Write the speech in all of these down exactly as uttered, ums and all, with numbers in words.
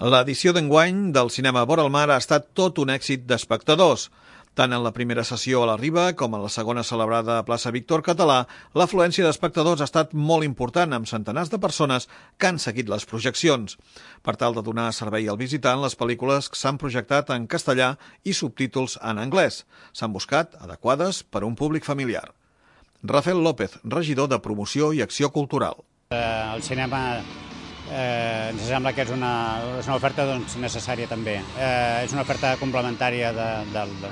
L'edició d'enguany del cinema Vora el Mar ha estat tot un èxit d'espectadors. Tant en la primera sessió a la Riba com en la segona celebrada a plaça Víctor Català, l'afluència d'espectadors ha estat molt important, amb centenars de persones que han seguit les projeccions. Per tal de donar servei al visitant, les pel·lícules s'han projectat en castellà i subtítols en anglès. S'han buscat adequades per a un públic familiar. Rafael López, regidor de Promoció i Acció Cultural. El cinema eh, ens sembla que és una, és una oferta doncs, necessària també. Eh, és una oferta complementària de, de, de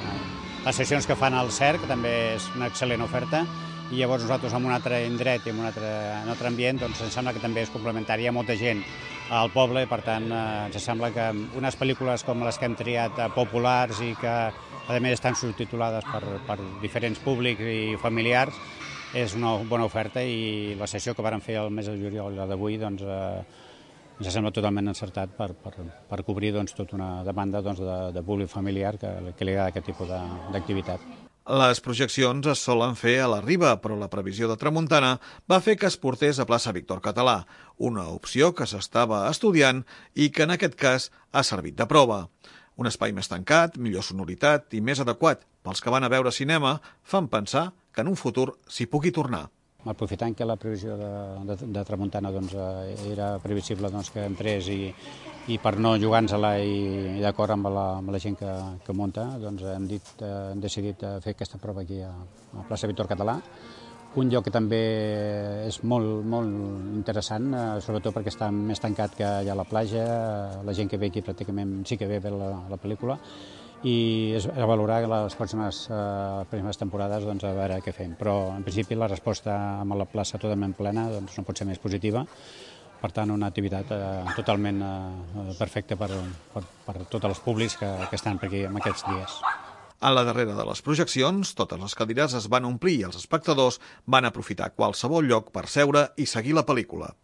les sessions que fan al C E R, que també és una excel·lent oferta, i llavors nosaltres en un altre indret i en un altre, en un altre ambient doncs, ens sembla que també és complementari. Hi ha molta gent al poble, per tant eh, ens sembla que unes pel·lícules com les que hem triat eh, populars i que a més estan subtitulades per, per diferents públics i familiars, és una bona oferta, i la sessió que vàrem fer el mes de juliol, la d'avui, doncs, eh, ens sembla totalment encertat per, per, per cobrir doncs, tota una demanda doncs, de, de públic familiar que, que li agrada aquest tipus d'activitat. Les projeccions es solen fer a la Riba, però la previsió de tramuntana va fer que es portés a plaça Víctor Català, una opció que s'estava estudiant i que en aquest cas ha servit de prova. Un espai més tancat, millor sonoritat i més adequat pels que van a veure cinema fan pensar que en un futur s'hi pugui tornar. Aprofitant que la previsió de, de, de tramuntana doncs, era previsible doncs, que entrés i, i per no jugar-nos-la i, i d'acord amb, la, amb la gent que, que munta, doncs hem, dit, eh, hem decidit fer aquesta prova aquí a, a plaça Víctor Català. Un lloc que també és molt, molt interessant, eh, sobretot perquè està més tancat que allà a la platja, la gent que ve aquí pràcticament sí que ve a veure la, la pel·lícula, i és a valorar les pròximes, eh, primeres temporades doncs, a veure què fem. Però en principi la resposta amb la plaça totalment plena doncs, no pot ser més positiva. Per tant, una activitat eh, totalment eh, perfecta per, per, per tots els públics que, que estan per aquí en aquests dies. A la darrera de les projeccions, totes les cadires es van omplir i els espectadors van aprofitar qualsevol lloc per seure i seguir la pel·lícula.